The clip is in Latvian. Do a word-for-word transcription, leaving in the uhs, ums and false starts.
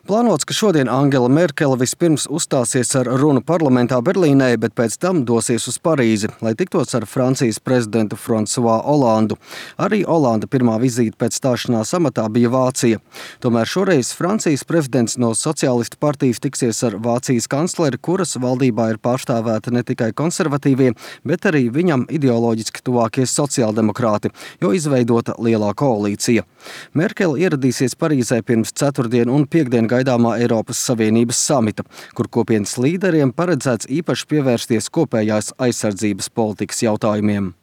Plānots, ka šodien Angela Merkele vispirms uzstāsies ar runu parlamentā Berlīnē, bet pēc tam dosies uz Parīzi, lai tiktos ar Francijas prezidentu François Hollandu. Arī Hollanda pirmā vizīte pēc stāšanās amatā bija Vācija. Tomēr šoreiz Francijas prezidents no Sociālistu partijas tiksies ar Vācijas kancleri, kuras valdībā ir pārstāvēta ne tikai konservatīvie, bet arī viņam ideoloģiski tuvākie sociāldemokrāti, jo izveidota lielā koalīcija. Merkele ieradīsies Parīzē pirms ceturtdien un piekdien gaidāmā Eiropas Savienības samita, kur kopienas līderiem paredzēts īpaši pievērsties kopējās aizsardzības politikas jautājumiem.